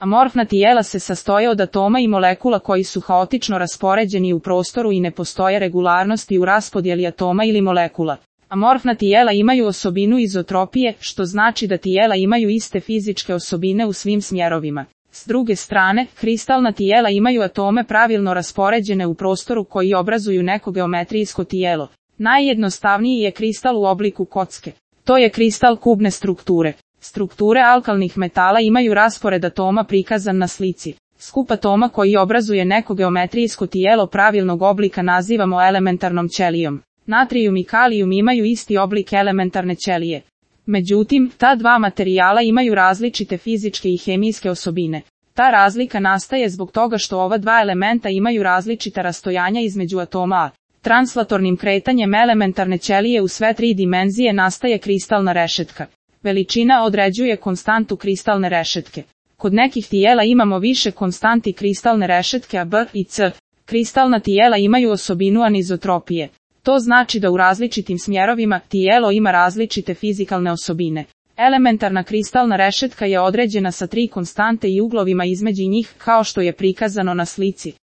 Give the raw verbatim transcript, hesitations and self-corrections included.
Amorfna tijela se sastoje od atoma i molekula koji su haotično raspoređeni u prostoru i ne postoje regularnosti u raspodjeli atoma ili molekula. Amorfna tijela imaju osobinu izotropije, što znači da tijela imaju iste fizičke osobine u svim smjerovima. S druge strane, kristalna tijela imaju atome pravilno raspoređene u prostoru koji obrazuju neko geometrijsko tijelo. Najjednostavniji je kristal u obliku kocke. To je kristal kubne strukture. Strukture alkalnih metala imaju raspored atoma prikazan na slici. Skup atoma koji obrazuje neko geometrijsko tijelo pravilnog oblika nazivamo elementarnom ćelijom. Natrijum i kalijum imaju isti oblik elementarne ćelije. Međutim, ta dva materijala imaju različite fizičke i hemijske osobine. Ta razlika nastaje zbog toga što ova dva elementa imaju različita rastojanja između atoma a. Translatornim kretanjem elementarne ćelije u sve tri dimenzije nastaje kristalna rešetka. Veličina određuje konstantu kristalne rešetke. Kod nekih tijela imamo više konstanti kristalne rešetke a B i C. Kristalna tijela imaju osobinu anizotropije. To znači da u različitim smjerovima tijelo ima različite fizikalne osobine. Elementarna kristalna rešetka je određena sa tri konstante i uglovima između njih, kao što je prikazano na slici.